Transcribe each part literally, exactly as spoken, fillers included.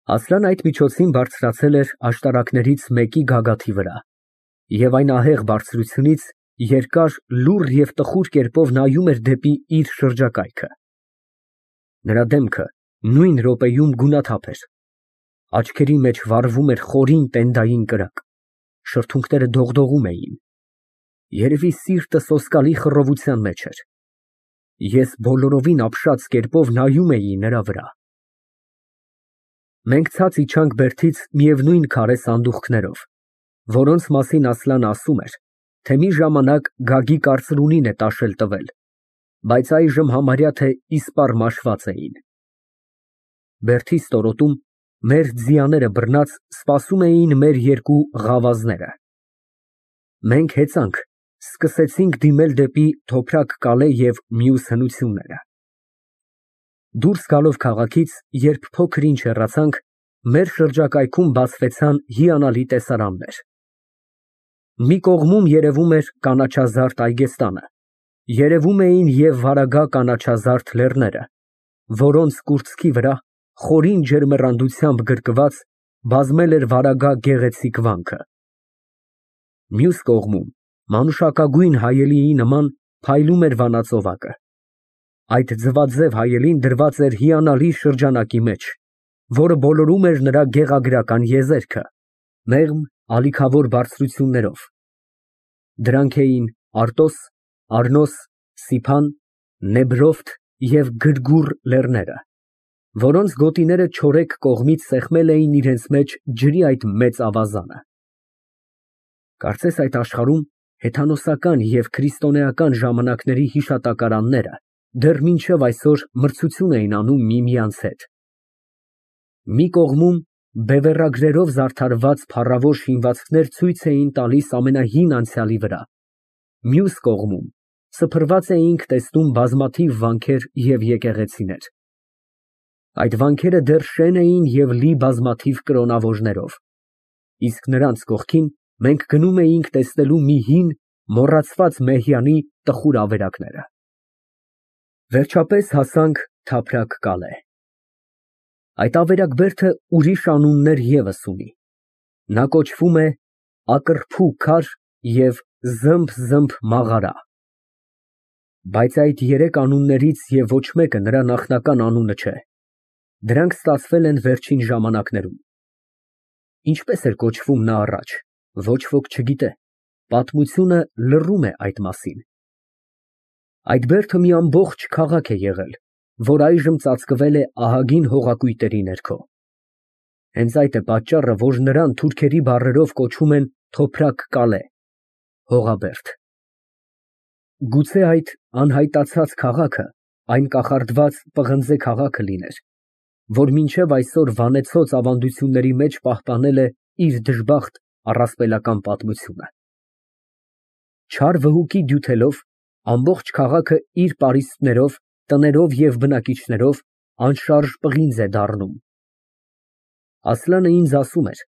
Ասլան այդ միջոցին բարձրացել էր աշտարակներից մեկի գագաթի վրա և այն ահեղ բարձրությունից երկար, լուռ և տխուր կերպով նայում էր դեպի իր շրջակայքը։ Նրա դեմքը նույն րոպեում գունաթափ էր, աչքերի մեջ վառվում էր խորին տենդային կրակ, շրթունքները դողդողում էին, երևի սիրտը սոսկալի խռովության մեջ էր։ Ես բոլորովին ապշած կերպով նայում էի նրա վրա։ Մենք ցած իջանք բերդից միևնույն քարե սանդուղքներով, որոնց մասին Ասլանը ասում էր, թե մի ժամանակ Գագիկ կարծրունին է տաշել տվել, բայց այժմ համարյա թե իսպառ մաշված էին։ Բերդի ստորոտում մեր ձիաները բռնած սպասում էին մեր երկու ղավազները։ Մենք հեծանք, սկսեցինք դիմել դեպի Թոփրակ Կալե և մյուս հնությունները։ Դուրս գալով քաղաքից, երբ փոքր ինչ հեռացանք, մեր շրջակայքում բացվեցան հիանալի տեսարաններ։ Մի կողմում երևում էր կանաչազարդ Այգեստանը, երևում էին և վարագա կանաչազարդ լեռները, որոնց կուրծքի վրա, խորին ջերմեռանդությամբ գրկված, բազմել էր վարագա գեղեցիկ վանքը։ Մյուս կողմում, մանուշակագույն հայելիի նման, փայլում էր վանածովակը։ Այդ ձվաձև հայելին դրված էր հիանալի շրջանակի մեջ, որը բոլորում էր նրա գեղագրական եզերքը, մեղմ ալիքավոր բարձրություններով։ Դրանք էին Արտոս, Առնոս, Սիփան, Նեբրովթ և Գրգուռ լեռները, որոնց գոտիները չորեքն կողմից սեղմել էին իրենց մեջ ջրի այդ մեծ ավազանը։ Կարծես այդ աշխարհում հեթանոսական և քրիստոնեական ժամանակների հիշատակարանները դեռ մինչև այսօր մրցություն էին անում միմյանց հետ։ Մի կողմում բևեռագրերով զարդարված փառավոր շինվածքներ ցույց էին տալիս ամենահին անցյալի վրա, մյուս կողմում սփռված էինք տեսնում բազմաթիվ վանքեր և եկեղեցիներ։ Այդ վանքերը դեռ շեն էին և լի բազմաթիվ կրոնավորներով, իսկ նրանց կողքին մենք գնում էինք տեսնելու մի հին, մոռացված մեհյանի տխուր ավերակները։ Վերջապես հասանք Թափրակ Կալե։ Այդ ավերակբերդը ուրիշ անուններ ևս ունի, նա կոչվում է Ակռփու քար և Զմբ֊Զմբ մաղարա, բայց այդ երեք անուններից և ոչ մեկը նրա նախնական անունը չէ, դրանք ստացվել են վերջին ժամանակներում։ Ինչպես էր կոչվում նա առաջ, ոչ ոք չգիտե, պատմությունը լռում է այդ մասին։ Այդ բերդը մի ամբողջ քաղաք է եղել, որ այժմ ծածկվել է ահագին հողակույտերի ներքո։ Հենց այդ է պատճառը, որ նրան թուրքերի բառերով կոչում են Թոփրակ Կալե (հողաբերդ)։ Գուցե այդ անհայտացած քաղաքը այն կախարդված պղնձե քաղաքը լիներ, որ մինչև այսօր վանեցոծ ավանդությունների մեջ պահպանել է իր դժբախտ առասպելական պատմությունը։ Չար վհուկի դյութելով ամբողջ քաղաքը իր պարիսպներով, տներով և բնակիչներով անշարժ պղինձ է դառնում։ Ասլանը ինձ ասում էր,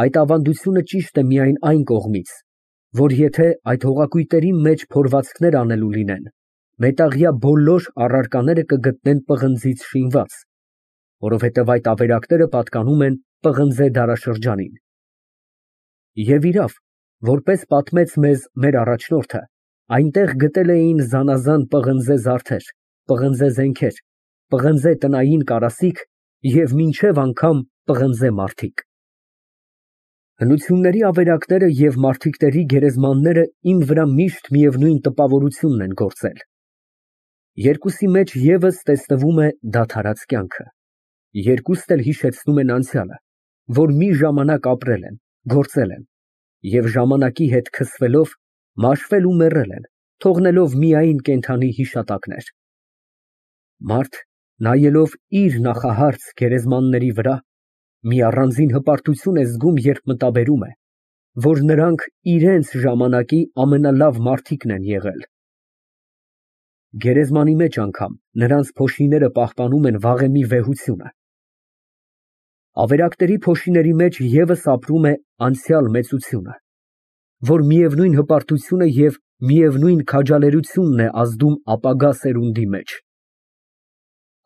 այդ ավանդությունը ճիշտ է միայն այն կողմից, որ եթե այդ հողակույտերի մեջ փորվածքներ անելու լինեն, մետաղյա բոլոր առարկաները կգտնեն պղնձից շինված, որովհետև այդ ավերակները պատկանում են պղնձե դարաշրջանին։ Եվ իրավ, որպես պատմեց մեզ մեր առաջնորդը, այնտեղ գտել էին զանազան պղնձե զարդեր, պղնձե զենքեր, պղնձե տնային կարասիք և մինչև անգամ պղնձե մարդիկ։ Հնությունների ավերակները և մարդիկների գերեզմանները իմ վրա միշտ միևնույն տպավորությունն են գործել։ Երկուսի մեջ ևս տեսնվում է դադարած կյանքը, երկուսն էլ հիշեցնում են անցյալը, որ մի ժամանակ ապրել են, գործել են և ժամանակի հետ քսվելով, մաշվել ու մեռել են, թողնելով միայն կենդանի հիշատակներ։ Մարդ, նայելով իր նախահարց գերեզմանների վրա, մի առանձին հպարտություն է զգում, երբ մտաբերում է, որ նրանք իրենց ժամանակի ամենալավ մարդիկն են եղել։ Գերեզմանի մեջ անգամ նրանց փոշիները պահպանում են վաղեմի վեհությունը։ Ավերակների փոշիների մեջ ևս ապրում է անցյալ մեծությունը, որ միևնույն հպարտությունը և միևնույն քաջալերությունն է ազդում ապագա սերունդի մեջ։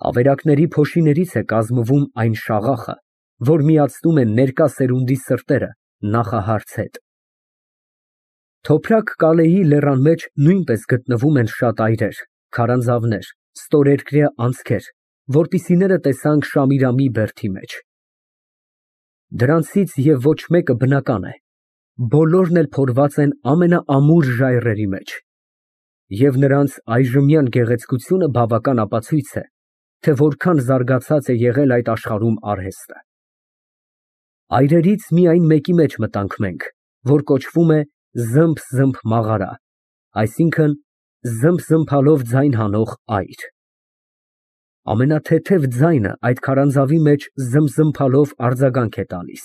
Ավերակների փոշիներից է կազմվում այն շաղախը, որ միացնում են ներկա սերունդի սրտերը նախահարց հետ։ Թոփրակ Կալեի լեռան մեջ նույնպես գտնվում են շատ այրեր, քարանձավներ, ստորերկրյա անցքեր, որպիսիները տեսանք Շամիրամի բերդի մեջ։ Դրանցից և ոչ մեկը բնական է, բոլորն էլ փորված են ամենաամուր ժայռերի մեջ, և նրանց այժմյան գեղեցկությունը բավական ապացույց է, թե որքան զարգացած է եղել այդ աշխարհում արհեստը։ Այրերից միայն մեկի մեջ մտանք մենք, որ կոչվում է «Զմփ֊զմփ մաղարա», այսինքն՝ զմփ֊զմփալով ձայն հանող այր։ Ամենաթեթև ձայնը այդ քարանձավի մեջ զմզմփալով արձագանք է տալիս։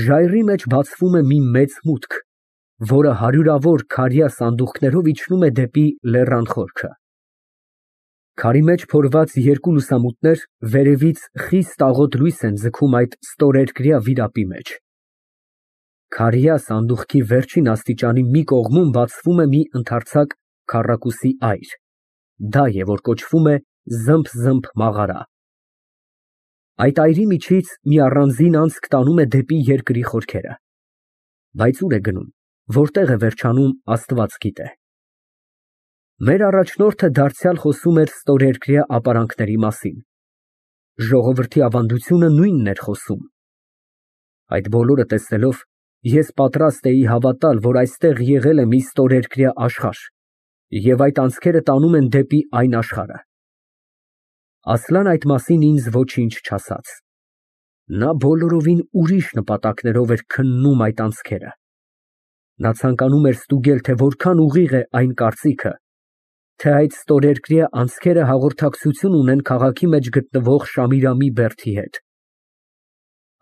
Ժայռի մեջ բացվում է մի մեծ մուտք, որը հարյուրավոր քարյա սանդուղքներով իջնում է դեպի լեռան խորքը։ Քարի մեջ փորված երկու լուսամուտներ վերևից խիստ աղոտ լույս են ձգում այդ ստորերկրյա վիրապի մեջ։ Քարյա սանդուղքի վերջին աստիճանի մի կողմում բացվում է մի ընդարձակ քառակուսի այր, դա է, որ կոչվում է «Զմփ֊զմփ մաղարա»։ Այդ այրի միջից մի առանձին անցք տանում է դեպի երկրի խորքերը, բայց ուր է գնում, որտեղ է վերջանում, Աստված գիտե։ Մեր առաջնորդը դարձյալ խոսում էր ստորերկրյա ապարանքների մասին։ Ժողովրդի ավանդությունը նույնն էր խոսում։ Այդ բոլորը տեսնելով, ես պատրաստ էի հավատալ, որ այստեղ եղել է մի ստորերկրյա աշխարհ, և այդ անցքերը տանում են դեպի այն աշխարհը։ Ասլան այդ մասին ինձ ոչինչ չասաց։ Նա բոլորովին ուրիշ նպատակներով էր քննում այդ անցքերը։ Նա ցանկանում էր ստուգել, թե որքան ուղիղ է այն կարծիքը, թե այդ ստորերկրյա անցքերը հաղորդակցություն ունեն քաղաքի մեջ գտնվող Շամիրամի բերդի հետ։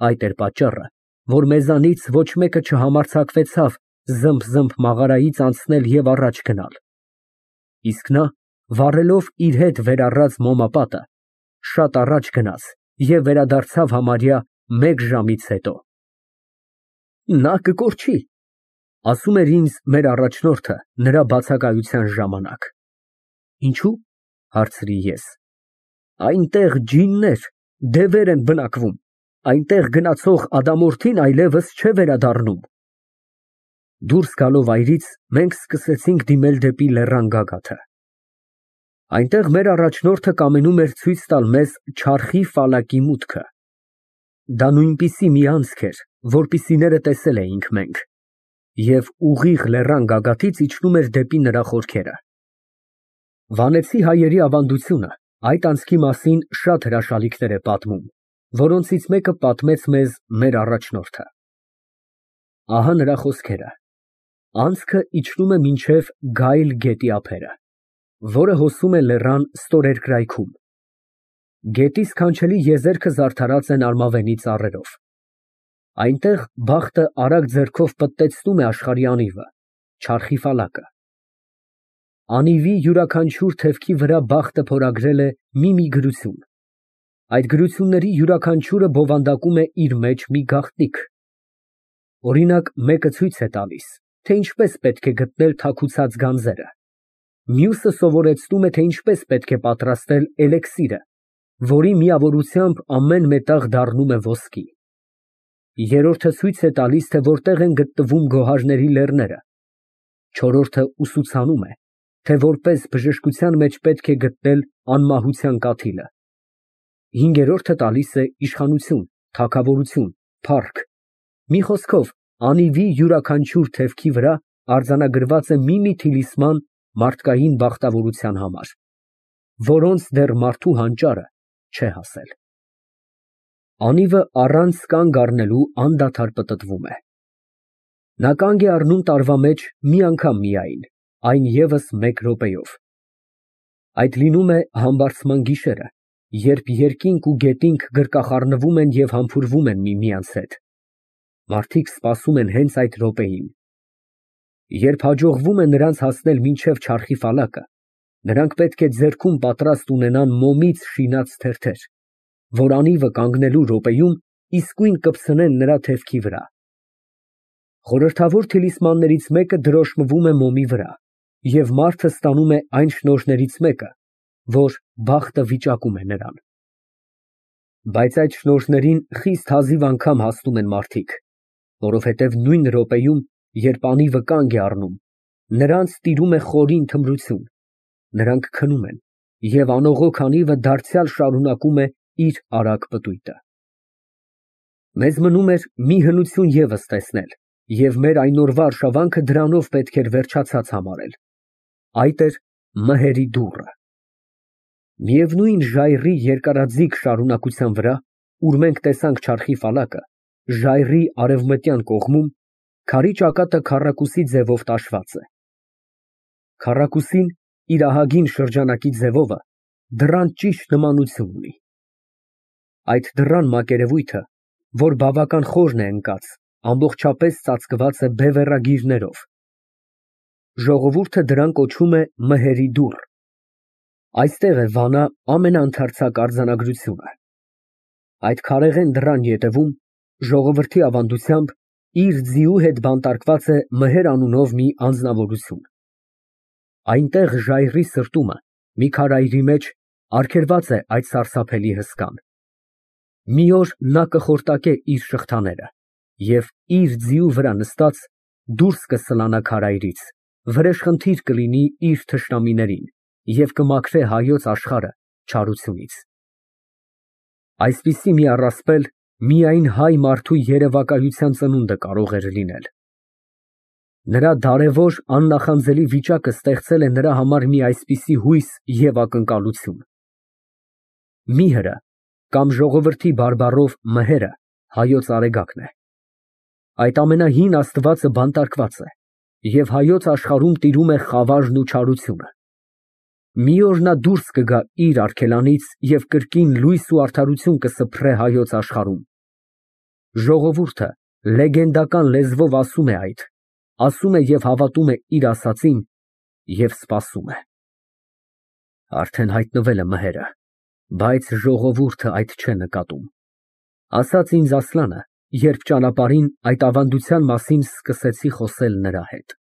Այդ էր պատճառը, որ մեզանից ոչ մեկը չհամարձակվեցավ Զմփ-զմփ մաղարայից անցնել և առաջ գնալ։ Իսկ նա, վառելով իր հետ վեր առած մոմապատը, շատ առաջ գնաց և վերադարձավ համարյա մեկ ժամից հետո։ Նա կկորչի, ասում էր ինձ մեր առաջնորդը նրա բացակայության ժամանակ։ Ինչո՞ւ, հարցրի ես։ Այնտեղ ջիններ, դևեր են բնակվում, այնտեղ գնացող ադամորդին այլևս չէ վերադառնում։ Դուրս գալով այրից, մենք սկսեցինք դիմել դեպի լեռան գագաթը։ Այնտեղ մեր առաջնորդը կամենում էր ցույց տալ մեզ չարխի ֆալակի մուտքը։ Դա նույնպիսի մի անցք էր, որպիսիները տեսել էինք մենք, և ուղիղ լեռան գագաթից իջնում էր դեպի նրա խորքերը։ Վանեցի հայերի ավանդությունը այդ անցքի մասին շատ հրաշալիքներ է պատմում, որոնցից մեկը պատմեց մեզ մեր առաջնորդը։ Ահա նրա խոսքերը. Անցքը իջնում է մինչև Գայլ գետի ափերը, որը հոսում է լեռան ստորերկրայքում։ Գետի սքանչելի եզերքը զարդարած են արմավենի ծառերով։ Այնտեղ բախտը արագ ձեռքով պտտեցնում է աշխարհի անիվը, չարխի ֆալակը։ Անիվի յուրաքանչյուր թևքի վրա բախտը փորագրել է մի֊մի գրություն։ Այդ գրությունների յուրաքանչյուրը բովանդակում է իր մեջ մի գաղտնիք։ Օրինակ, մեկը ցույց է տալիս, թե ինչպես պետք է գտնել թաքուցած գանձերը, մյուսը սովորեցնում է, թե ինչպես պետք է պատրաստել էլեքսիրը, որի միավորությամբ ամեն մետաղ դառնում է ոսկի։ Երրորդը ցույց է տալիս, թե որտեղ են գտնվում գոհարների լեռները։ Չորրորդը ուսուցանում է, թե որպես բժշկության մեջ պետք է գտնել անմահության կաթիլը։ Հինգերորդը տալիս է իշխանություն, թագավորություն, փառք։ Մի խոսքով, անիվի յուրաքանչյուր թևքի վրա արձանագրված է մի֊մի թիլիսման մարդկային բախտավորության համար, որոնց դեռ մարդու հանճարը չէ հասել։ Անիվը առանց կանգ առնելու անդադար պտտվում է։ Նա կանգ է առնում տարվա մեջ մի անգամ միայն, այն ևս մեկ րոպեով։ Այդ լինում է համբարձման գիշերը, երբ երկինք ու գետինք գրկախառնվում են և համբուրվում են միմյանց հետ։ Մարդիկ սպասում են հենց այդ րոպեին։ Երբ հաջողվում է նրանց հասնել մինչև չարխի ֆալակը, նրանք պետք է ձեռքում պատրաստ ունենան մոմից շինած թերթեր, որ անիվը կանգնելու րոպեում իսկույն կպցնեն նրա թևքի վրա։ Խորհրդավոր թիլիսմաններից մեկը դրոշմվում է մոմի վրա, և մարդը ստանում է այն շնորհներից մեկը, որ բախտը վիճակում է նրան։ Բայց այդ շնորհներին խիստ հազիվ անգամ հասնում են մարդիկ, որովհետև նույն րոպեում, երբ անիվը կանգ է առնում, նրանց տիրում է խորին թմրություն, նրանք քնում են, և անողոք անիվը դարձյալ շարունակում է իր արագ պտույտը։ Մեզ մնում էր մի հնություն ևս տեսնել, և մեր այն օրվա արշավանքը դրանով պետք էր վերջացած համարել, այդ էր մհերի դուռը։ Միևնույն ժայռի երկարաձիգ շարունակության վրա, ուր մենք տեսանք չարխի ֆալակը, ժայռի արևմտյան կողմում, քարի ճակատը քառակուսի ձևով տաշված է։ Քառակուսին իր ահագին շրջանակի ձևովը դռան ճիշտ նմանություն ունի։ Այդ դռան մակերևույթը, որ բավական խորն է ընկած, ամբողջապես ծածկված է բևեռագիրներով։ Ժողովուրդը դրան կոչում է մհերի դուռ։ Այստեղ է Վանա ամենաընդարձակ արձանագրությունը։ Այդ քարեղեն դռան ետևում, ժողովրդի ավանդությամբ, իր ձիու հետ բանտարկված է Մհեր անունով մի անձնավորություն։ Այնտեղ ժայռի սրտումն մի քարայրի մեջ արգելված է այդ սարսափելի հսկան։ Մի օր նա կխորտակե իր շղթաները և, իր ձիու վրա նստած, դուրս կսլանա քարայրից, վրեժխնդիր կլինի իր թշնամիներին և կմաքրե հայոց աշխարհը չարությունից։ Այսպիսի մի առասպել միայն հայ մարդու երևակայության ծնունդը կարող էր լինել։ Նրա դարևոր աննախանձելի վիճակը ստեղծել է նրա համար մի այսպիսի հույս և ակնկալություն։ Միհրը կամ ժողովրդի բարբառով մհերը հայոց արեգակն է։ Այդ ամենահին աստվածը բանտարկված է, և հայոց աշխարհում տիրում է խավարն ու չարությունը։ Մի օր նա դուրս կգա իր արգելանից և կրկին լույս ու արդարություն կսփռե հայոց աշխարհում։ Ժողովուրդը լեգենդական լեզվով ասում է այդ, ասում է և հավատում է իր ասածին և սպասում է։ Արդեն հայտնվել է մհերը, բայց ժողովուրդը այդ չէ նկատում, ասաց ինձ Ասլանը, երբ ճանապարհին այդ ավանդության մասին սկսեցի խոսել նրա հետ։